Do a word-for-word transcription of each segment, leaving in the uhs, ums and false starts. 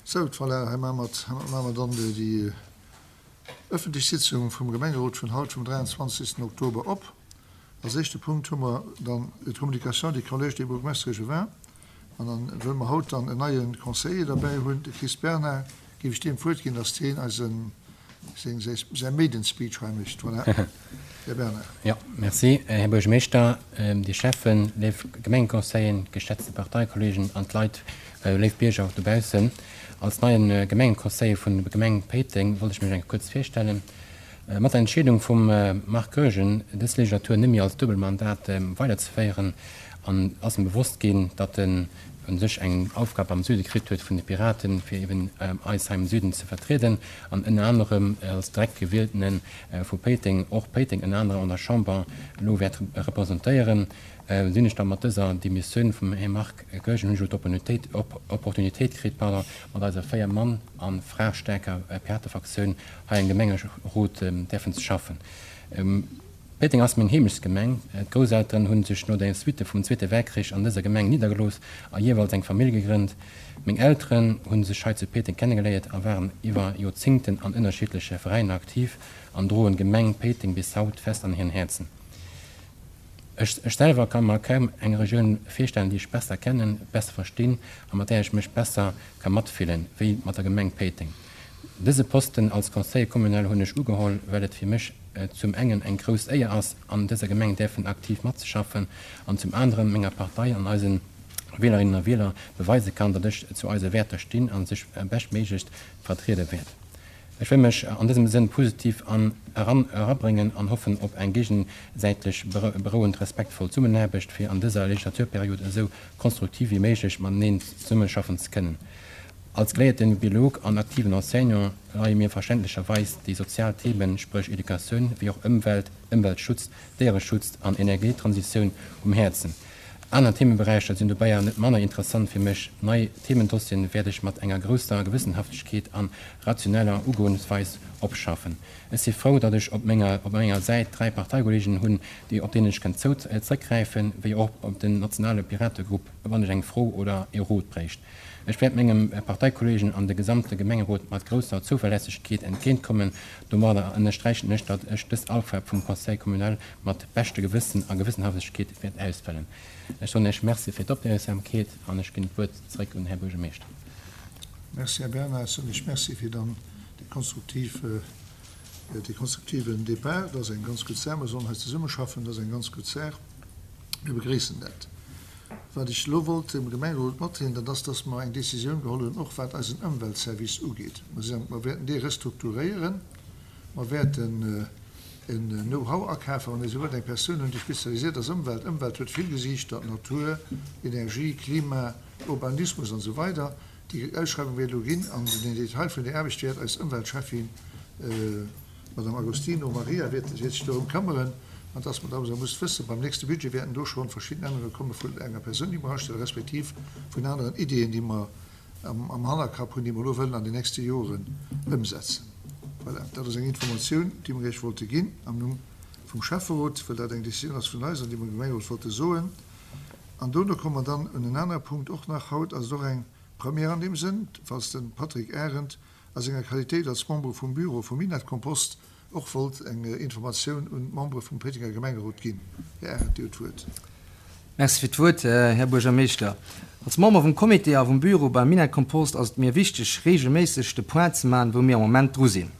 Sou, voilà, hei maache mer, maache mer dann déi ëffentlech Sitzung vum Gemengerot vun haut, vum dräianzwanzegsten Oktober op. Als éischte Punkt hu mer dann d'Communication du Collège des bourgmestres échevins. An dann, wëll mer haut dann en neie Conseiller derbäi hunn, de Chris Bernard, géif ech deem d'Wuert ginn, dass deen eisen, seng, säi Maiden Speech hei mécht. Voilà, Här Bernard. Jo, merci, Här Buergermeeschter, Dir Schäffen, léif Gemengeconseilleren, geschätzte Parteikollegen an d'Leit, léif Bierger och dobaussen. Als neie Gemengeconseiller vun der Gemeng Péiteng wollt ech mech eng kuerz virstellen. Mat der Entscheedung vum Marc Goergen, dës Legislatur net méi als Duebelmandat weiderzeféieren, an ass em bewosst ginn, datt en u sech eng Aufgab am Süde kritt huet vun de Piraten, fir eben eis hei am Süden ze vertrieden an ënner anerem als direkt Gewieltene vu Péiteng och Péiteng ënner anerem an der Chamber elo wäert representéieren. Sinn ech da mat dëser Demissioun vum Här Marc Goergen, hunn ech elo d'Opportunitéit, Opportunitéit kritt, pardon, mat eiser véier Mann a Fra staarker Piratefraktioun hei am Gemengerot däerfen ze schaffen. Péiteng ass meng Heemechtsgemeng. D'Grousselteren hu sech no der Suite vum Zweete Weltkrich an dëser Gemeng niddergelooss a jeeweils eng Famill gegrënnt. Meng Elteren hu sech hei zu Péiteng kennegeléiert a waren iwwer Joerzéngten an ënnerschiddleche Veräiner aktiv an droen d'Gemeng Péiteng bis haut fest an hiren Häerzen. Ech selwer ka mer kaum eng Regioun virstellen, déi ech besser kennen, besser verstinn a mat där ech mech besser ka matfillen, wéi mat der Gemeng Péiteng. Dëse Posten als Conseiller communal hunn ech ugeholl, well et fir mech zum engen eng grouss Éier ass, an dëser Gemeng däerfen aktiv matzeschaffen an zum aneren menger Partei an eise Wielerinnen a Wieler beweise kann, datt ech zu eise Wäerter stinn a se beschtméiglechst vertriede wäert. Ech wëll mech an dësem Sënn positiv an eran erabréngen an hoffen op eng géigesäitlech berouend respektvoll Zesummenaarbecht, fir an dëser Legislaturperiod esou konstruktiv wéi méiglech mateneen zesummeschaffen ze kënnen. Als geléierte Biolog an aktiven Enseignant leie mir verständlecherweis déi sozial Themen, spréch Educatioun, wéi och Ëmwelt, Ëmweltschutz, Déiereschutz an Energietransitioun um Häerzen. Aner Themeberäicher sinn dobäi awer net manner interessant fir mech. Nei Themendossieren wäert ech mat enger grousser Gewëssenhaftegkeet an rationeller Ugoensweis opschaffen. Ech si frou, datt ech op menger op menger Säit dräi Parteikollegen hunn, déi op deenen ech kënn zou zréckgräifen, wéi och op den nationale Pirategrupp, wann ech eng Fro oder ee Rot bréicht. Ech wäert mengem Parteikollegen an de gesamte Gemengerot mat grousser Zouverlässegkeet entgéintkommen. Domadder ënnersträichen ech, datt ech dës Aufgab vum Conseil communal mat beschte Gewëssen a Gewëssenhaftegkeet wäert ausfëllen. Ech soen Iech Merci fir d'Opmierksamkeet an ech ginn d'Wuert zréck un den Här Buergermeeschter. Merci, Här Bernard. Ech soen Iech Merci fir dann dee konstruktiv, dee konstruktiven Départ. Dat ass eng ganz gutt Saach. Mir sollen hei zesummeschaffen. Dat ass eng ganz gutt Saach. Mir begréissen dat. Wat ech elo wollt dem Gemengerot matdeelen, dat ass, dass mer eng Décisioun geholl hunn, och wat eisen Ëmweltservice ugeet. Mer wäerten dee restrukturéieren. Mer wäerten en Know-how akafen, wann ee sou wëllt, eng Persoun hunn, déi spezialisiert ass Ëmwelt. Ëmwelt huet vill Gesiichter, Natur, Energie, Klima, Urbanismus an esou weider. Déi Ausschreiwung wäert elo ginn an den Detail vun där Aarbecht wäert eis Ëmweltschäffin, d'Madame Agostino Maria, wäert sech dorëm këmmeren. An dass mer da muss wëssen, beim nächste Budget wäerten do schonn verschidden Ännerunge komme vun enger Persoun, déi mer astellen, respektiv vun aneren Ideeën, déi mer am Hannerkapp hunn, déi mer elo wëllen an den nächste Joren ëmsetzen. Voilà, dat ass eng Informatioun, déi mer Iech wollte ginn am Numm vum Schäfferot, well dat eng Décisioun ass vun eis an déi mer dem Gemengerot wollte soen. An dono komme mer dann un en anere Punkt och nach. Haut ass et och eng Première an deem Sënn, falls de Patrick Arendt a senger Qualitéit als Member vum Bureau vum Minett-Kompost och wollt eng Informatioun un d'Membere vum Péitenger Gemengerot ginn. Här Arendt, Dir hutt d'Wuert. Merci fir d'Wuert, Här Buergermeeschter. Als Member vum Comité a vum Bureau beim Minett-Kompost ass et mir wichteg, reegelméisseg de Point ze maachen, wou mir am Moment dru sinn.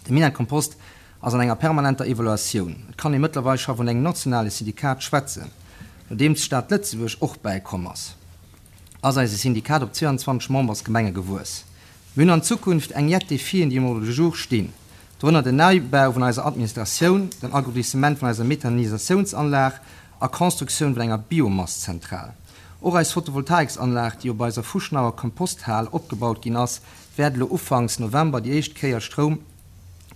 De Minett-Kompost ass an enger permanenter Evaluatioun. Et kann ee mëttlerweil scho vun engem nationale Syndikat schwätzen. Nodeems d'Stad Lëtzebuerg och bäikomm ass, ass eise Syndikat op zweiandzwanzeg Membersgemenge gewuess. Mir hunn an Zukunft eng jett Defien, déi um Ordre du jour stinn, dorënner den Neibau vun eiser Administratioun, den Agrandissement vun eiser Methanisatiounsanlag a Constructioun vun enger Biomasszentral. Och eis Photovoltaiksanlag, déi op eiser fuschneier Komposthal opgebaut ginn ass, wäert elo ufanks November déi éischt Kéier Stroum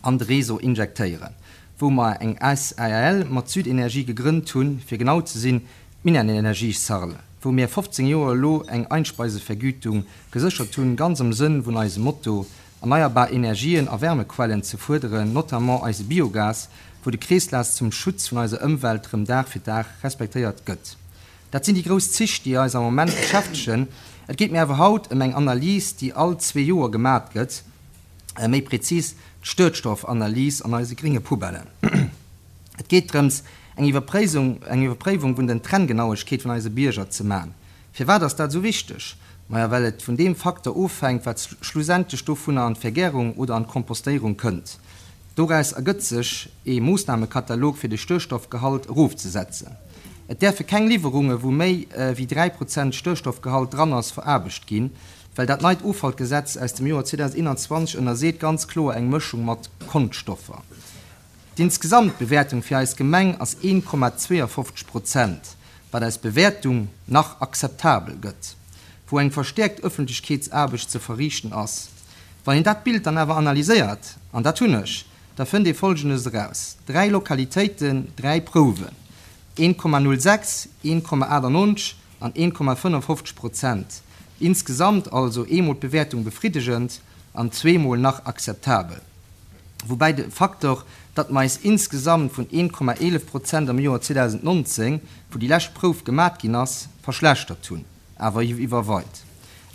an de Réseau injektéieren, wou mer eng S A R L mat Südenergie gegrënnt hunn, fir genau ze sinn d'Minenenergie Sarl, wou mir fofzéng Joer elo eng Einspeisevergütung geséchert hunn, ganz am Sënn vun eisem Motto, erneierbar Energien a Wärmequellen ze fuerderen, notamment eise Biogas, wou de Kreeslaf zum Schutz vun eiser Ëmwelt rëm Dag fir Dag respektéiert gëtt. Dat sinn déi grouss Zich, déi eis am Moment beschäftegen. Et geet mir awer haut ëm eng Analys, déi all zwee Joer gemat gëtt, méi prezis d'Stëckstoffanalys an eise grénge Poubellen. Et geet drëms, eng Iwwerpréisung, eng Iwwerpréiwung vun den Trenngenauegkeet vun eise Bierger ze man. Firwat ass dat sou wichteg? Maja, well et vun deem Faktor ofhänkt, wat schlussendlech dovunner an d'Vergärung oder an d'Kompostéierung kënnt. Doraus ergëtt sech ee Moossnamekatalog fir de Stëckstoffgehalt erofzesetzen. Et däerfe keng Liwwerunge wou méi wéi dräi Prozent Stëckstoffgehalt dran ass veraarbecht ginn, well dat neit Offallgesetz aus dem Joer zweedausendeenanzwanzeg ënnerseet ganz kloer eng Mëschung mat Konschtstoffer. D'Insgesamtbewäertung fir eis Gemeng ass een Komma zweeënfofzeg Prozent, wat eis Bewäertung nach akzeptabel gëtt, wou eng verstäerkt Ëffentlechkeetsaarbecht ze verriichten ass. Wann een dat Bild dann awer analyséiert, an dat hunn ech, da fënnt ee Folgendes eraus, dräi Lokalitéiten, dräi Prouwen, een Komma null sechs, een Komma achtannonzeg an een Komma fënnefofzeg Prozent, insgesamt also eemol d'Bewäertung befriddegend an zweemol nach akzeptabel. Woubäi de Faktor, datt mer eis insgesamt vun een Komma eelef Prozent am Joer zweedausendnonzéng, wou déi lescht Prouf gemat ginn ass, verschlechtert hunn, awer iwwerweit.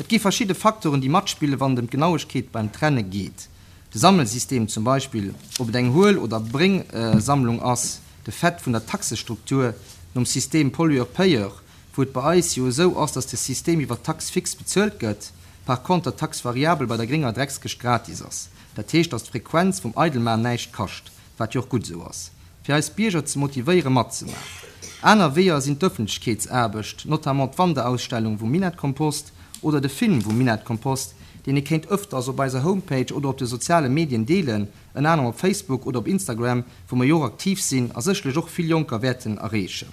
Et gi verschidde Faktoren, déi matspillen, wann et ëm d'Genauegkeet beim Trenne geet. De Sammelsystem zum Beispill, ob et eng Huel oder Bréngsammlung ass, de Fait vun der Taxestruktur nom System Pollueur-Payeur, wou et bei eis jo esou ass, datt de System iwwer d'Taxe fixe bezuelt gëtt, par conter d'Taxe variable bei der grénger Dreckskëscht gratis ass. Dat heescht, datt d'Frequenz vum Eidelman näischt kascht, wat jo och gutt esou ass, fir eis Bierger ze motivéiere matzemaachen. Aner Weeër sinn d'Ëffentlechkeetsaarbecht, notamment d'Wanderausstellung vum Minettkompost oder de Film vum Minettkompost, deen ee kéint ëfters op eiser Homepage oder op de soziale Medien deelen, ënner anerem op Facebook oder op Instagram, wou mer jo och aktiv sinn a sécherlech och vill Jonker wäerten erreechen.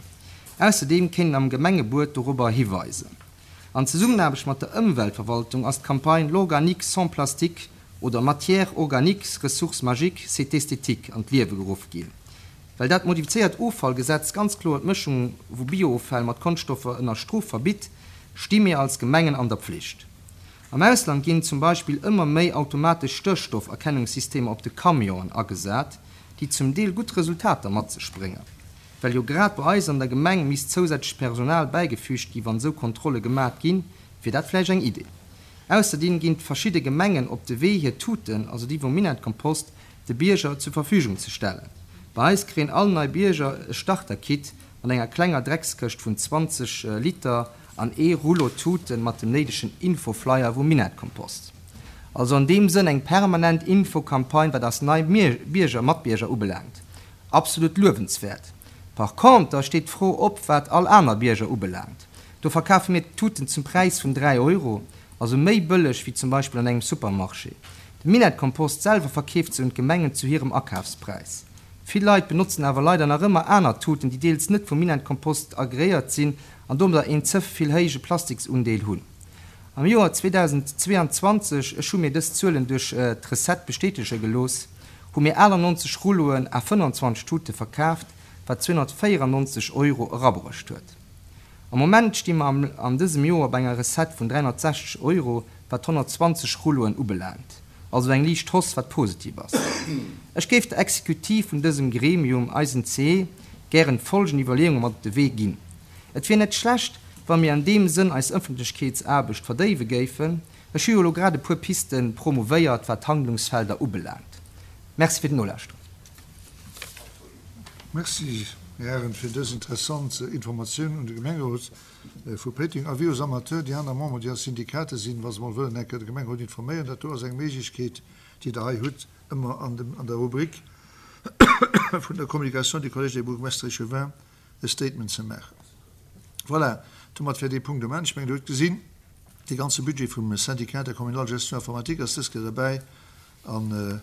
Ausserdeem kéint een am Gemengebuet dorobber hiweisen. An Zesummenaarbecht mat der Ëmweltverwaltung ass d'Campagne L'organique sans plastique oder Matière organique, ressource magique, c'est esthétique an d'Liewe geruff ginn. Well dat modifizéiert Offallgesetz ganz kloer d'Mëschung vu Biooffäll mat Konschtstoffer ënner Strof verbitt, sti mir als Gemengen an der Pflicht. Am Ausland ginn zum Beispill ëmmer méi automatesch Stéchstofferkennungssystemer op de Camionen agesat, déi zum Deel gutt Resultater mat sech bréngen. Well jo grad bei eis an der Gemeng misst zousätzlecht Personal bäigefüügt gi wann esou Kontrolle gemat ginn, wier dat vläicht eng Idee. Ausserdeem ginn verschidde Gemengen op de Wee hir Tuten, also déi vum Minettkompost, de Bierger zur Verfügung ze stellen. Bei eis kréien all nei Bierger e Starter-Kit mat enger klenger Dreckskëscht vun zwanzeg Liter an ee Rouleau Tuten mat dem néidegen Infoflyer vum Minettkompost. Also an deem Sënn eng permanent Infocampagne wat eis nei Bierger, Matbierger ubelaangt. Absolut luewenswäert. Par conter steet d'Fro op wat all aner Bierger ubelaangt. Do verkafe mir d'Tuten zum Präis vun dräi Euro, also méi bëlleg wéi zum Beispill an engem Supermarché. De Minettkompost selwer verkeeft se un d'Gemengen zu hirem Akafspräis. Vill Leit benotzen awer leider nach ëmmer aner Tuten, déi deels net vum Minettkompost agreéiert sinn an domadder een ze vill héije Plastiksundeel hunn. Am Joer zweedausendzweeanzwanzeg, ech hu mir dës Zuelen duerch d'Recette bestätege gelooss, hu mir achtannonzeg Rulloen à fënnanzwanzeg Tute verkaaft, wat zweehonnertvéierannonzeg Euro erabruecht huet. Am Moment sti mer an dësem Joer bei enger Recette vun dräihonnertsechzeg Euro, wat honnertzwanzeg Rulloen ubelaangt. Also eng liicht Hausse, wat positiv ass. Ech géif der Exekutiv vun dësem Gremium, eisen C E, gären folgend Iwwerleeunge mat op de Wee ginn. Et wier net schlecht, wa mir an deem Sënn eis Ëffentlechkeetsaarbecht verdéiwe géifen. Ech hu jo elo grad e puer Piste promouvéiert, wat d'Handlungsfelder ubelaangt. Merci fir d'Nolauschteren. Merci, Här Arendt, fir dës interessant Informatioun un de Gemengerot vu Péiteng. Avis aux amateurs, déi aner Memberen, déi a Syndikater sinn, wa se mol wëllen eng Kéier de Gemengerot informéieren, dat do ass eng Méiglechkeet, déi Der hei hutt, ëmmer an dem, an der Rubrik vun der Communication du Collège des bourgmestres échevins e Statement ze maachen. Voilà, domat wär dee Punkt um Enn. Ech mengen, Der hutt gesinn, dee ganze Budget vum Syndicat der communale gestion informatique ass dës Kéier derbäi an